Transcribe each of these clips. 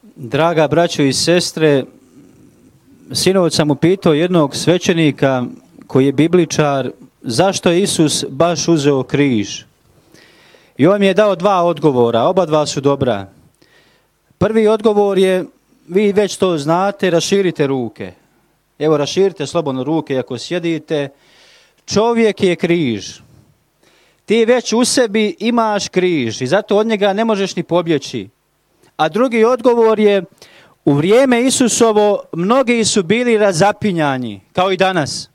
Draga braćo i sestre, sinoć sam upitao jednog svećenika koji je bibličar zašto je Isus baš uzeo križ. I on mi je dao dva odgovora, oba dva su dobra. Prvi odgovor je, vi već to znate, raširite ruke. Evo, raširite slobodno ruke ako sjedite. Čovjek je križ. Ti već u sebi imaš križ i zato od njega ne možeš ni pobjeći. A drugi odgovor je, u vrijeme Isusovo mnogi su bili razapinjani, kao i danas.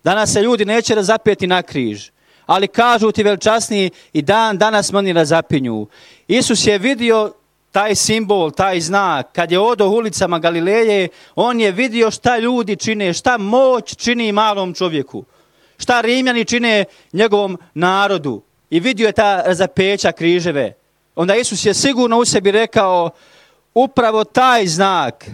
Danas se ljudi neće razapeti na križ, ali kažu ti veličasni i danas oni razapinju. Isus je vidio taj simbol, taj znak, kad je odo ulicama Galileje, on je vidio šta ljudi čine, šta moć čini malom čovjeku, šta Rimljani čine njegovom narodu i vidio je ta razapeća križeve. Onda Isus je sigurno u sebi rekao, upravo taj znak,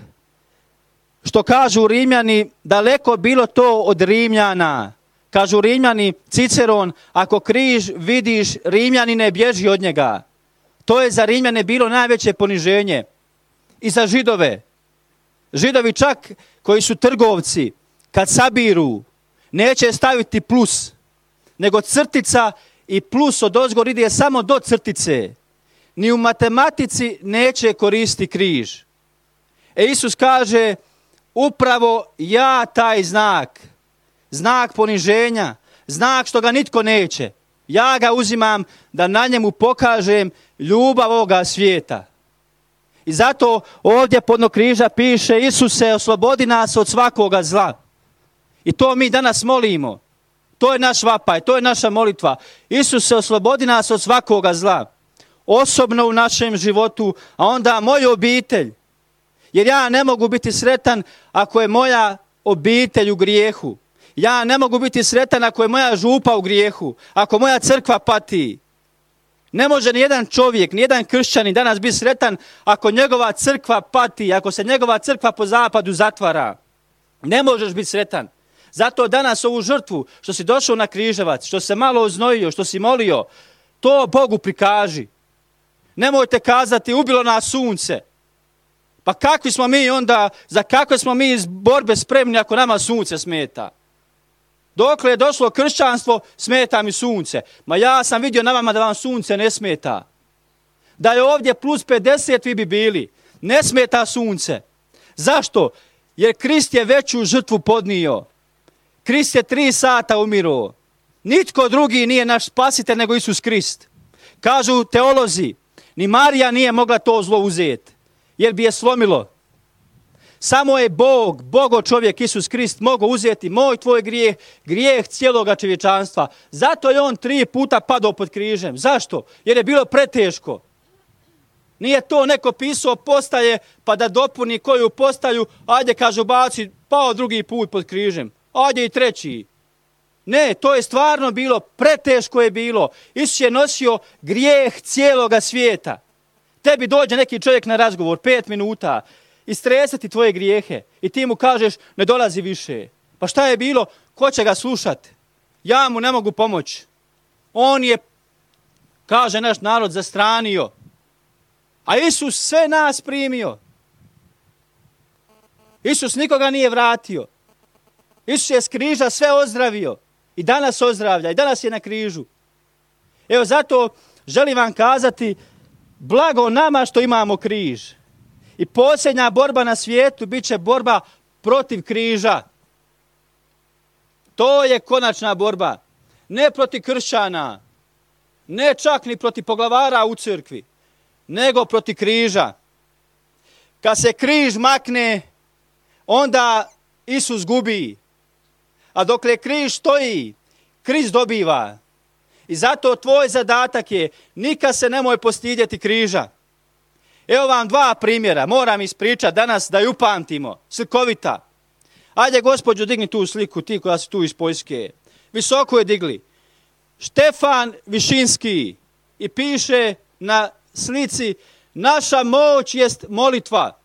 što kažu Rimljani, daleko bilo to od Rimljana. Kažu Rimljani, Ciceron, ako križ vidiš, Rimljanine, bježi od njega. To je za Rimljane bilo najveće poniženje. I za Židove. Židovi čak koji su trgovci, kad sabiru, neće staviti plus, nego crtica i plus od ozgor ide samo do crtice. Ni u matematici neće koristiti križ. Isus kaže, upravo ja taj znak, znak poniženja, znak što ga nitko neće, ja ga uzimam da na njemu pokažem ljubav ovoga svijeta. I zato ovdje podno križa piše, Isuse, oslobodi nas od svakoga zla. I to mi danas molimo. To je naš vapaj, to je naša molitva. Isuse, oslobodi nas od svakoga zla. Osobno u našem životu, a onda moju obitelj. Jer ja ne mogu biti sretan ako je moja obitelj u grijehu. Ja ne mogu biti sretan ako je moja župa u grijehu, ako moja crkva pati. Ne može nijedan čovjek, nijedan kršćanin danas biti sretan ako njegova crkva pati, ako se njegova crkva po zapadu zatvara. Ne možeš biti sretan. Zato danas ovu žrtvu, što si došao na križevac, što se malo oznojio, što si molio, to Bogu prikaži. Nemojte kazati, ubilo nas sunce. Pa kakvi smo mi onda, za kakve smo mi iz borbe spremni ako nama sunce smeta? Dokle je došlo kršćanstvo, smeta mi sunce. Ma ja sam vidio na vama da vam sunce ne smeta. Da je ovdje plus 50 vi bi bili. Ne smeta sunce. Zašto? Jer Krist je veću žrtvu podnio. Krist je 3 sata umirao. Nitko drugi nije naš spasitelj nego Isus Krist. Kažu teolozi, ni Marija nije mogla to zlo uzeti, jer bi je slomilo. Samo je Bogo čovjek Isus Krist mogao uzeti moj tvoj grijeh, grijeh cijeloga čovječanstva. Zato je on 3 puta padao pod križem. Zašto? Jer je bilo preteško. Nije to neko pisao postaje pa da dopuni koju postaju, ajde kažu baci, pao 2. put pod križem, ajde i 3. Ne, to je stvarno bilo, preteško je bilo. Isus je nosio grijeh cijeloga svijeta. Tebi dođe neki čovjek na razgovor, 5 minuta, istresati tvoje grijehe i ti mu kažeš ne dolazi više. Pa šta je bilo? Ko će ga slušati? Ja mu ne mogu pomoći. On je, kaže naš narod, zastranio. A Isus sve nas primio. Isus nikoga nije vratio. Isus je s križa sve ozdravio. I danas ozdravlja, i danas je na križu. Evo zato želim vam kazati, blago nama što imamo križ. I posljednja borba na svijetu bit će borba protiv križa. To je konačna borba. Ne protiv kršćana, ne čak ni protiv poglavara u crkvi, nego protiv križa. Kad se križ makne, onda Isus gubi. A dokle križ stoji, Krist dobiva. I zato tvoj zadatak je, nikad se nemoj postidjeti križa. Evo vam 2 primjera, moram ispričati danas da ju upamtimo, slikovita. Ajde gospođo, digni tu sliku, ti koja si tu iz Poljske. Visoko je digli. Štefan Višinski i piše na slici, naša moć jest molitva.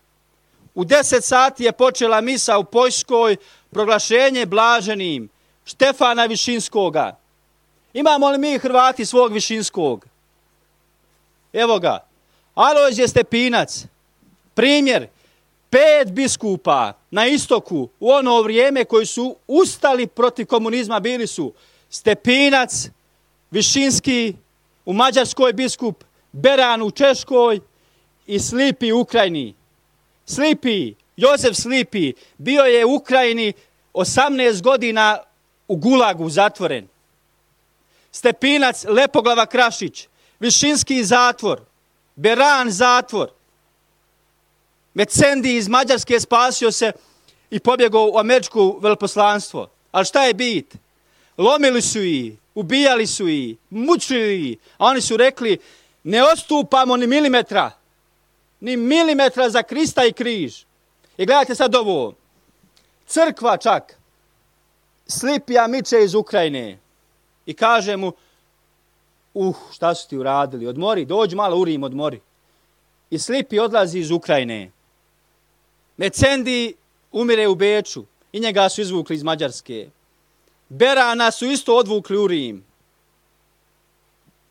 U 10 sati je počela misa u Poljskoj, proglašenje blaženim Štefana Višinskoga. Imamo li mi Hrvati svog Višinskog? Evo ga. Alojzije Stepinac, Primjer, 5 biskupa na istoku u ono vrijeme koji su ustali protiv komunizma bili su Stepinac, Višinski u Mađarskoj biskup, Beran u Češkoj i Slipi u Ukrajini. Slipi, Jozef Slipi, bio je u Ukrajini 18 godina u Gulagu zatvoren. Stepinac, Lepoglava Krašić, Višinski zatvor, Beran zatvor. Mecendi iz Mađarske spasio se i pobjegao u američko veleposlanstvo. Ali šta je bit? Lomili su ih, ubijali su ih, mučili ih, a oni su rekli ne odstupamo ni milimetra za Krista i križ. I gledajte sad ovo, crkva čak Slipija miče iz Ukrajine i kaže mu šta su ti uradili, odmori, dođi malo u Rim, odmori. I Slipi odlazi iz Ukrajine. Mecendi umire u Beču i njega su izvukli iz Mađarske. Berana su isto odvukli u Rim.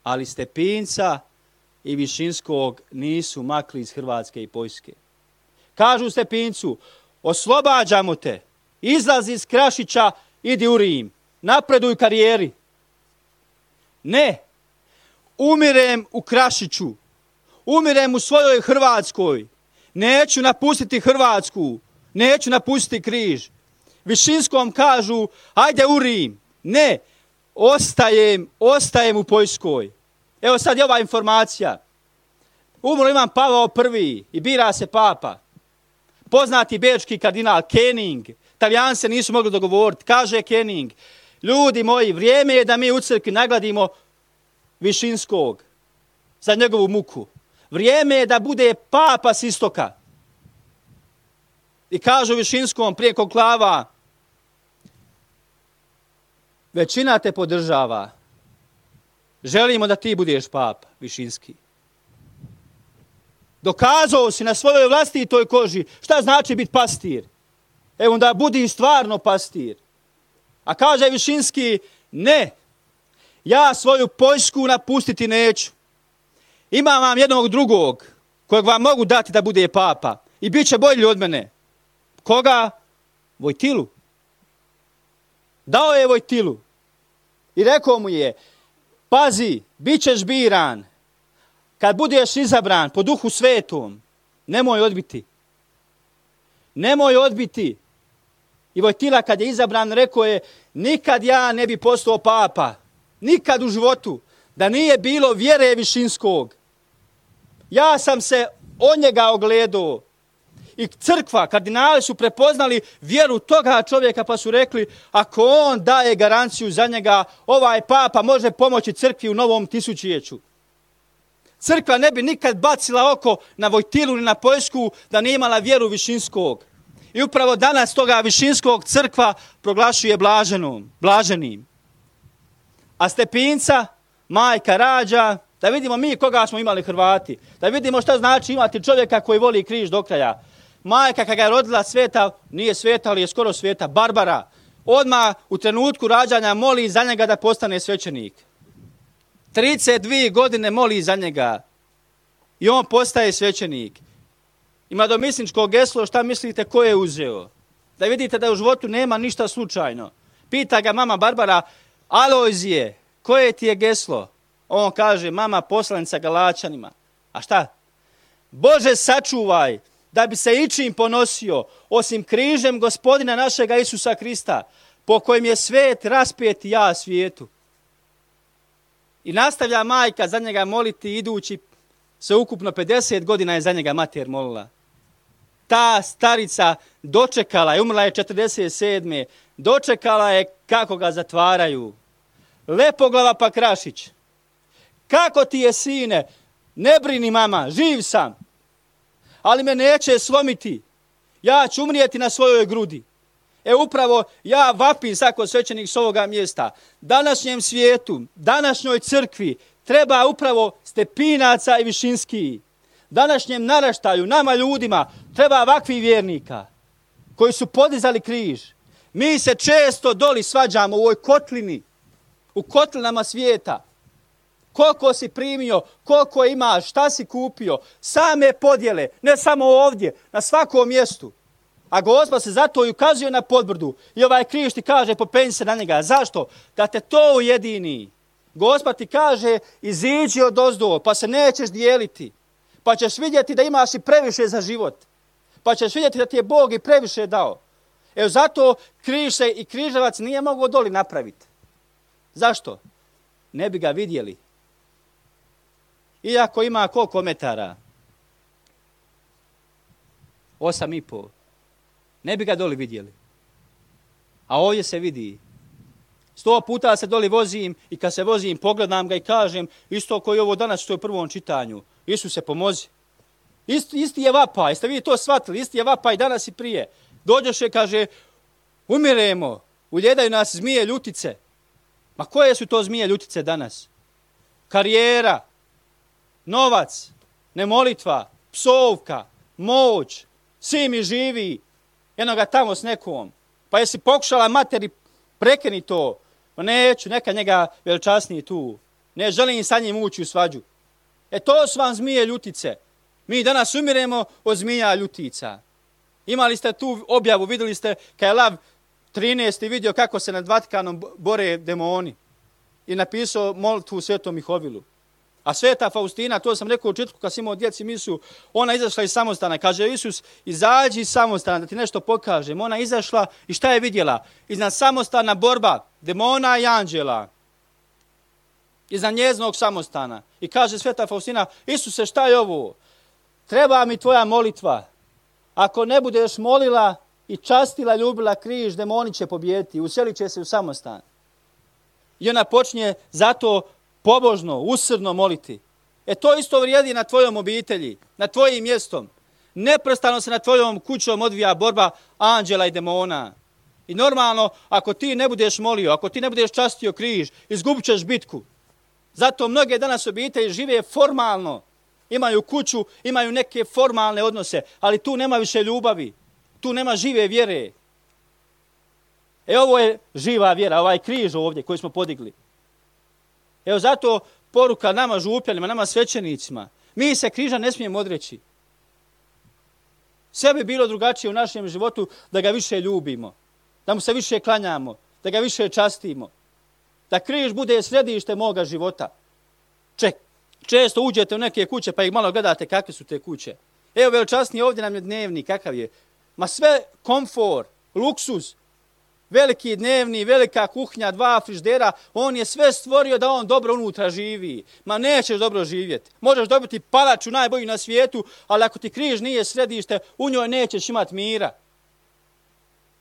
Ali Stepinca i Višinskog nisu makli iz Hrvatske i Poljske. Kažu Stepincu, oslobađamo te, izlazi iz Krašića, idi u Rim, napreduj karijeri. Ne, umirem u Krašiću, umirem u svojoj Hrvatskoj, neću napustiti Hrvatsku, neću napustiti križ. Višinskom kažu, ajde u Rim. Ne, ostajem u Poljskoj. Evo sad je ova informacija. Umro Ivan Pavao I i bira se papa. Poznati bečki kardinal Kening. Talijani se nisu mogli dogovoriti. Kaže Kening, ljudi moji, vrijeme je da mi u crkvi nagladimo Višinskog za njegovu muku. Vrijeme je da bude papa s istoka. I kažu Višinskom prije konklava, većina te podržava. Želimo da ti budeš papa, Višinski. Dokazao si na svojoj vlastitoj koži šta znači biti pastir. Evo onda budi stvarno pastir. A kaže Višinski, ne, ja svoju Poljsku napustiti neću. Imam vam jednog drugog kojeg vam mogu dati da bude papa i bit će bolji od mene. Koga? Vojtilu. Dao je Vojtilu i rekao mu je, pazi, bit ćeš biran. Kad budeš izabran po Duhu Svetom, nemoj odbiti. Nemoj odbiti. I Vojtila kad je izabran rekao je, nikad ja ne bi postao papa. Nikad u životu. Da nije bilo vjere Višinskog. Ja sam se od njega ogledao. I crkva, kardinali su prepoznali vjeru toga čovjeka pa su rekli, ako on daje garanciju za njega, ovaj papa može pomoći crkvi u novom tisućljeću. Crkva ne bi nikad bacila oko na Vojtilu ni na Poljsku da nije imala vjeru Višinskog. I upravo danas toga Višinskog crkva proglašuje blaženim. A Stepinca, majka rađa, da vidimo mi koga smo imali Hrvati, da vidimo šta znači imati čovjeka koji voli križ do kraja. Majka kada je rodila sveta, nije sveta, ali je skoro sveta, Barbara, odmah u trenutku rađanja moli za njega da postane svećenik. 32 godine moli za njega i on postaje svećenik. Ima domisničko geslo, šta mislite ko je uzeo? Da vidite da u životu nema ništa slučajno. Pita ga mama Barbara, Alojzije, koje ti je geslo? On kaže, mama poslanica Galačanima. A šta? Bože sačuvaj da bi se ičim ponosio osim križem Gospodina našega Isusa Krista, po kojem je svet raspet i ja svijetu. I nastavlja majka za njega moliti idući se ukupno 50 godina je za njega mater molila. Ta starica dočekala je, umrla je 47. Dočekala je kako ga zatvaraju. Lepoglava pa Krašić. Kako ti je sine? Ne brini mama, živ sam. Ali me neće slomiti. Ja ću umrijeti na svojoj grudi. Upravo ja vapim svako svećenik s ovoga mjesta. Današnjem svijetu, današnjoj crkvi treba upravo Stepinaca i Višinski. Današnjem naraštaju, nama ljudima, treba ovakvih vjernika koji su podizali križ. Mi se često doli svađamo u ovoj kotlini, u kotlinama svijeta. koliko si primio, koliko imaš, šta si kupio. Same podjele, ne samo ovdje, na svakom mjestu. A Gospod se zato i ukazuje na podbrdu. I ovaj križ ti kaže, popenji se na njega. Zašto? Da te to ujedini. Gospod ti kaže, iziđi odozdo, pa se nećeš dijeliti. Pa ćeš vidjeti da imaš i previše za život. Pa ćeš vidjeti da ti je Bog i previše dao. Evo zato križ se i križevac nije mogao doli napraviti. Zašto? Ne bi ga vidjeli. Iako ima koliko metara? 8,5. Ne bi ga doli vidjeli. A ovdje se vidi. 100 puta se doli vozim i kad se vozim pogledam ga i kažem isto koji ovo danas što je u prvom čitanju. Isuse pomozi. Isti je vapaj, jeste vi to shvatili? Isti je vapaj danas i prije. Dođoše, kaže, umiremo, uljedaju nas zmije ljutice. Ma koje su to zmije ljutice danas? Karijera, novac, nemolitva, psovka, moć, svi mi živi, jednoga tamo s nekom. Pa jesi pokušala materi prekeni to? Pa neću, neka njega veličasniji tu. Ne želim sa njim ući u svađu. To su vam zmije ljutice. Mi danas umiremo od zmija ljutica. Imali ste tu objavu, vidjeli ste kad je Lav 13. vidio kako se nad Vatikanom bore demoni. I napisao molitvu Svetom Mihovilu. A Sveta Faustina, to sam rekao u četvrtku kad sam imao djeci misu, ona izašla iz samostana. Kaže Isus, izađi iz samostana da ti nešto pokažem. Ona izašla i šta je vidjela? Iznad samostana borba demona i anđela. Iznad njezinog samostana. I kaže Sveta Faustina, Isuse, šta je ovo? Treba mi tvoja molitva. Ako ne budeš molila i častila, ljubila križ, demoni će pobijediti. Uselit će se u samostan. I ona počinje zato pobožno, usrdno moliti. To isto vrijedi na tvojom obitelji, na tvojim mjestom. Neprestano se na tvojom kućom odvija borba anđela i demona. I normalno, ako ti ne budeš molio, ako ti ne budeš častio križ, izgubit ćeš bitku. Zato mnoge danas obitelji žive formalno. Imaju kuću, imaju neke formalne odnose, ali tu nema više ljubavi. Tu nema žive vjere. Ovo je živa vjera, ovaj križ ovdje koji smo podigli. Zato poruka nama župljanima, nama svećenicima. Mi se križa ne smijemo odreći. Sve bi bilo drugačije u našem životu da ga više ljubimo. Da mu se više klanjamo, da ga više častimo. Da križ bude središte moga života. Često uđete u neke kuće pa ih malo gledate kakve su te kuće. Veličasniji ovdje nam je dnevni, kakav je. Ma sve komfor, luksuz, veliki dnevni, velika kuhnja, 2 frižidera, on je sve stvorio da on dobro unutra živi. Ma nećeš dobro živjeti. Možeš dobiti palaču najbolju na svijetu, ali ako ti križ nije središte, u njoj nećeš imati mira.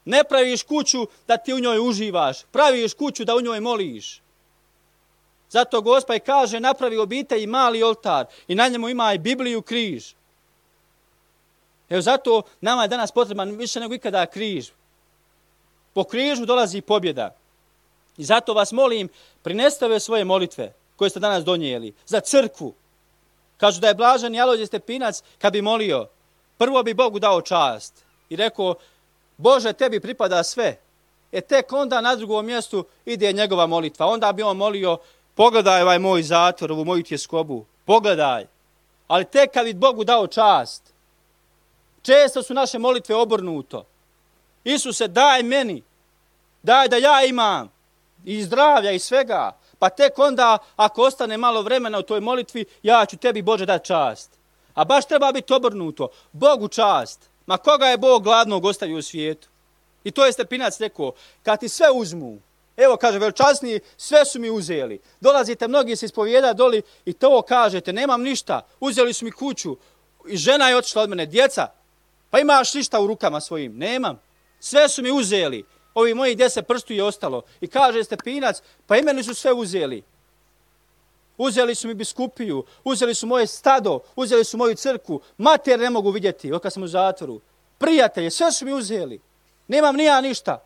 Ne praviš kuću da ti u njoj uživaš, praviš kuću da u njoj moliš. Zato Gospod kaže, napravi obitelj i mali oltar i na njemu ima i Bibliju, križ. Zato nama je danas potreban više nego ikada križ. Po križu dolazi pobjeda. I zato vas molim, prinesite ove svoje molitve koje ste danas donijeli za crkvu. Kažu da je blaženi Alojzije Stepinac kad bi molio, prvo bi Bogu dao čast i rekao, Bože, tebi pripada sve. Tek onda na drugom mjestu ide njegova molitva. Onda bi on molio, pogledaj ovaj moj zatvor, ovu moju tjeskobu, pogledaj. Ali tek kad bi Bogu dao čast. Često su naše molitve obrnuto. Isuse, daj meni, daj da ja imam i zdravlja i svega. Pa tek onda, ako ostane malo vremena u toj molitvi, ja ću tebi, Bože, dati čast. A baš treba biti obrnuto. Bogu čast. Ma koga je Bog gladnog ostavio u svijetu? I to je Stepinac rekao, kad ti sve uzmu, evo kaže veličasni, sve su mi uzeli. Dolazite mnogi se ispovijeda doli i to kažete, nemam ništa, uzeli su mi kuću i žena je otišla od mene, djeca, pa imaš ništa u rukama svojim, nemam. Sve su mi uzeli, ovi moji 10 prstu je ostalo. I kaže Stepinac, pa i meni su sve uzeli. Uzeli su mi biskupiju, uzeli su moje stado, uzeli su moju crkvu, mater ne mogu vidjeti, kad sam u zatvoru. Prijatelje, sve su mi uzeli. Nemam ni ja ništa.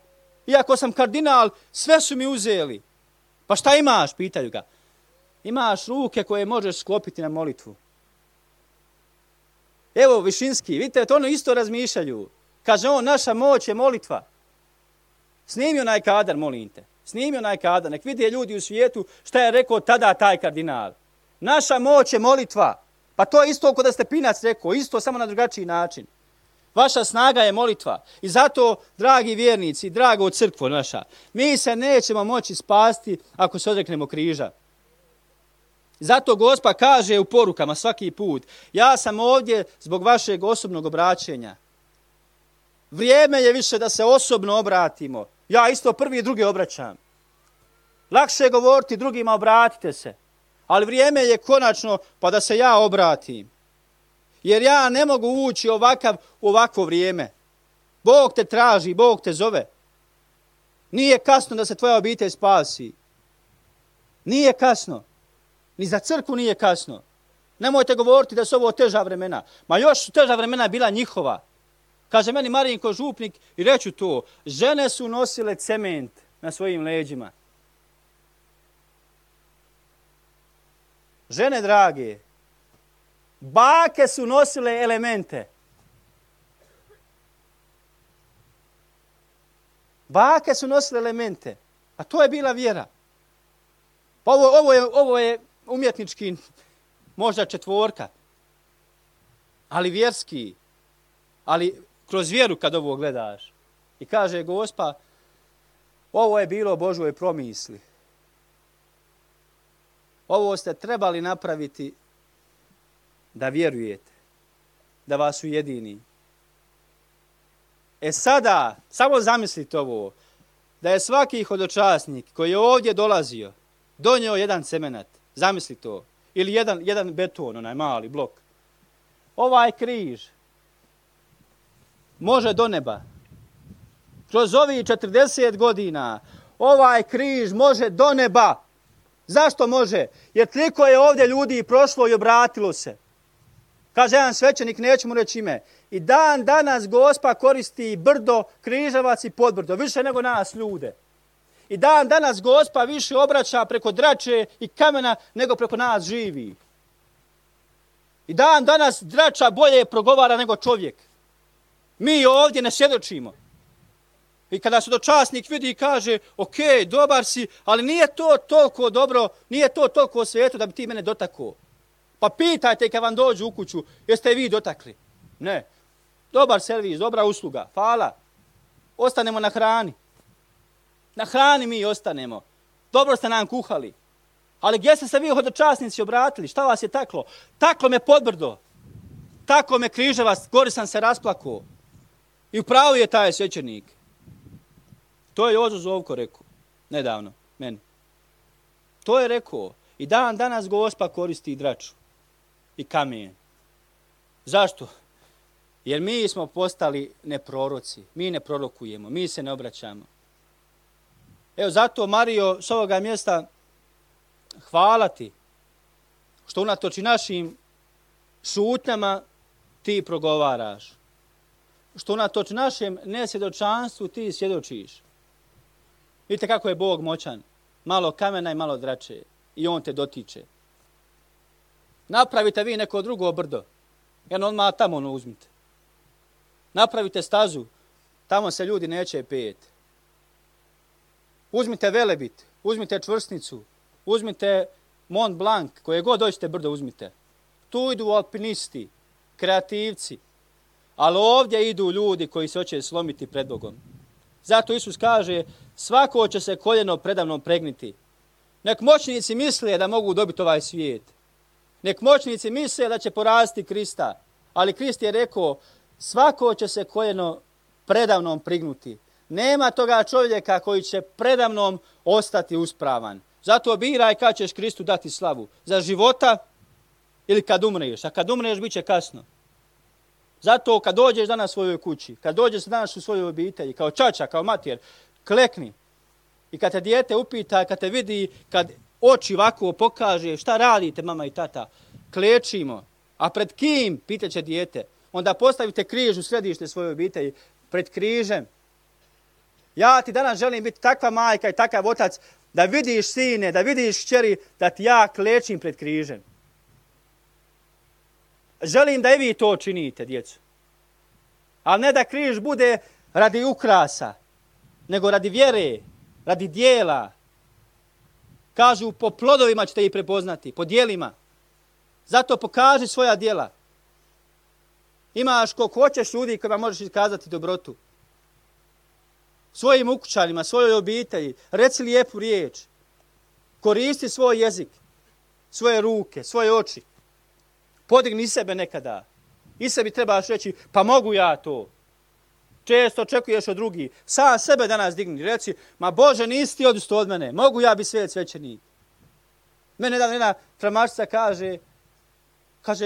Iako sam kardinal, sve su mi uzeli. Pa šta imaš, pitaju ga. Imaš ruke koje možeš sklopiti na molitvu. Evo Višinski, vidite, to ono isto razmišljaju. Kaže on, naša moć je molitva. Snimi onaj kadar, molim te. Snimi onaj kadar, nek vide ljudi u svijetu šta je rekao tada taj kardinal. Naša moć je molitva. Pa to je isto kod da Stepinac rekao, isto samo na drugačiji način. Vaša snaga je molitva. I zato, dragi vjernici, drago crkvo naša, mi se nećemo moći spasti ako se odreknemo križa. Zato Gospa kaže u porukama svaki put, ja sam ovdje zbog vašeg osobnog obraćenja. Vrijeme je više da se osobno obratimo. Ja isto prvi i drugi obraćam. Lakše je govoriti drugima, obratite se. Ali vrijeme je konačno pa da se ja obratim. Jer ja ne mogu ući u ovakvo vrijeme. Bog te traži, Bog te zove. Nije kasno da se tvoja obitelj spasi. Nije kasno. Ni za crkvu nije kasno. Nemojte govoriti da su ovo teža vremena. Ma još su teža vremena bila njihova. Kaže meni Marinko župnik i reću to. Žene su nosile cement na svojim leđima. Žene drage, bake su nosile elemente. Bake su nosile elemente. A to je bila vjera. Pa ovo je umjetnički, možda četvorka. Ali vjerski. Ali kroz vjeru kad ovo gledaš. I kaže Gospa, ovo je bilo Božjoj promisli. Ovo ste trebali napraviti da vjerujete, da vas ujedini. Sada, samo zamislite ovo, da je svaki hodočasnik koji je ovdje dolazio, donio jedan cemenat, zamisli to, ili jedan beton, onaj mali blok. Ovaj križ može do neba. Kroz ovih 40 godina ovaj križ može do neba. Zašto može? Jer toliko je ovdje ljudi prošlo i obratilo se. Kaže jedan svećenik, neću mu reći ime. I dan danas Gospa koristi brdo, križevac i podbrdo, više nego nas ljude. I dan danas Gospa više obraća preko drače i kamena nego preko nas živi. I dan danas drača bolje progovara nego čovjek. Mi ovdje ne svjedočimo. I kada sudočasnik vidi i kaže, ok, dobar si, ali nije to toliko dobro, nije to toliko sveto da bi ti mene dotakao. Pa pitajte kad vam dođu u kuću, jeste vi dotakli? Ne. Dobar servis, dobra usluga, hvala. Ostanemo na hrani. Na hrani mi ostanemo. Dobro ste nam kuhali. Ali gdje ste se vi hodočasnici obratili? Šta vas je taklo? Taklo me podbrdo. Taklo me križevac, gori sam se rasplakao. I upravo je taj svećenik. To je Jozo Zovko rekao, nedavno, meni. To je rekao. I dan danas Gospa koristi draču i kamen. Zašto? Jer mi smo postali neproroci. Mi ne prorokujemo, mi se ne obraćamo. Evo zato, Marijo, s ovoga mjesta hvala ti što unatoč našim šutnjama ti progovaraš. Što unatoč našem nesvjedočanstvu ti svjedočiš. Vidite kako je Bog moćan. Malo kamena i malo drače. I on te dotiče. Napravite vi neko drugo brdo. Jedno odmah tamo uzmite. Napravite stazu. Tamo se ljudi neće peti. Uzmite Velebit. Uzmite Čvrstnicu. Uzmite Mont Blanc. Koje god dođete brdo uzmite. Tu idu alpinisti. Kreativci. Ali ovdje idu ljudi koji se hoće slomiti pred Bogom. Zato Isus kaže, svako će se koljeno predamnom pregniti. Nek moćnici misle da mogu dobiti ovaj svijet. Nek moćnici misle da će porasti Krista. Ali Krist je rekao, svako će se koljeno predamnom prignuti. Nema toga čovjeka koji će predamnom ostati uspravan. Zato biraj kad ćeš Kristu dati slavu. Za života ili kad umreš. A kad umreš bit će kasno. Zato kad dođeš danas u svojoj kući, kad dođeš danas u svojoj obitelji, kao čača, kao mater, klekni. I kad te dijete upita, kad te vidi, kad oči ovako pokaže, šta radite mama i tata, klečimo. A pred kim, pitaće dijete, onda postavite križ u središte svoje obitelji, pred križem. Ja ti danas želim biti takva majka i takav otac, da vidiš sine, da vidiš kćeri, da ti ja klečim pred križem. Želim da i vi to činite, djecu. Ali ne da križ bude radi ukrasa, nego radi vjere, radi dijela. Kažu, po plodovima ćete ih prepoznati, po dijelima. Zato pokaži svoja djela. Imaš koliko hoćeš ljudi kojima možeš iskazati dobrotu. Svojim ukućanima, svojoj obitelji, reci lijepu riječ. Koristi svoj jezik, svoje ruke, svoje oči. Podigni sebe nekada. I sebi trebaš reći, pa mogu ja to. Često očekuješ od drugih. Sam sebe danas digni. Reci, ma Bože, nisi ti odustao od mene. Mogu ja biti svet svećenik. Mene jedna tramačica kaže,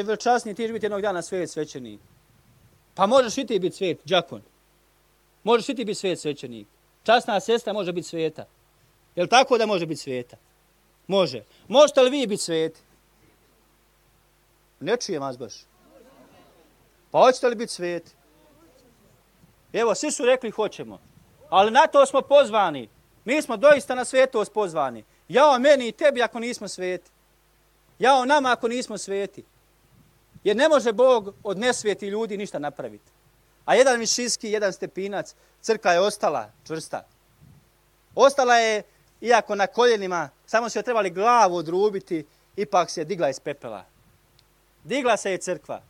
veličasniji, ti ćeš biti jednog dana svet svećenik. Pa možeš i ti biti svet, đakon. Možeš i ti biti svet svećenik. Časna sestra može biti sveta. Je li tako da može biti sveta? Može. Možete li vi biti sveti? Ne čujem vas baš. Pa hoćete li biti sveti? Evo, svi su rekli hoćemo. Ali na to smo pozvani. Mi smo doista na svetost pozvani. Jao meni i tebi ako nismo sveti. Jao nama ako nismo sveti. Jer ne može Bog od nesveti ljudi ništa napraviti. A jedan Višinski, jedan Stepinac, crkva je ostala čvrsta. Ostala je, iako na koljenima, samo su joj trebali glavu odrubiti, ipak se digla iz pepela. Digla se je crkva.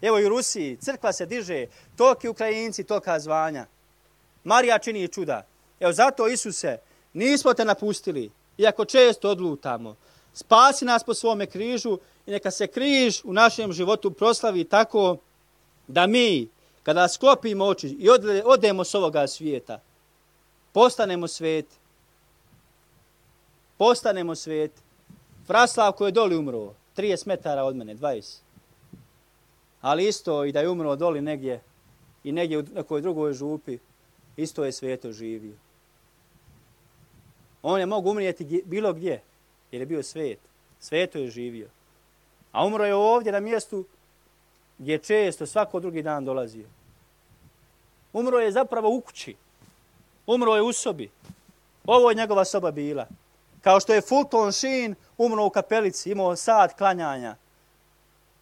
Evo i u Rusiji, crkva se diže, toliki Ukrajinci, tolika zvanja. Marija čini čuda. Evo zato, Isuse, nismo te napustili, iako često odlutamo. Spasi nas po svome križu i neka se križ u našem životu proslavi tako da mi, kada sklopimo oči i odemo s ovoga svijeta, postanemo sveti. Postanemo sveti. Praslav koji je doli umro, 30 metara od mene, 20. Ali isto i da je umro doli negdje i negdje u nekoj drugoj župi, isto je sveto živio. On je mogu umrijeti bilo gdje, jer je bio svet. Sveto je živio. A umro je ovdje na mjestu gdje je često svako drugi dan dolazio. Umro je zapravo u kući. Umro je u sobi. Ovo je njegova soba bila. Kao što je Fulton Sheen umro u kapelici, imao sat klanjanja.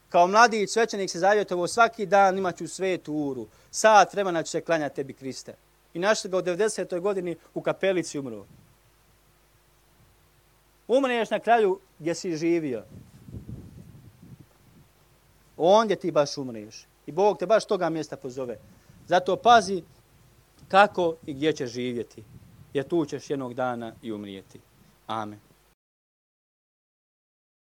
Kao mladić svećenik se zavjetovao svaki dan imat ću svetu uru. Sat vremena ću se klanjati tebi, Kriste. I našli ga u 90. godini u kapelici umro. Umreš na kraju gdje si živio. Ondje ti baš umreš. I Bog te baš toga mjesta pozove. Zato pazi kako i gdje ćeš živjeti. Jer tu ćeš jednog dana i umrijeti. Amen.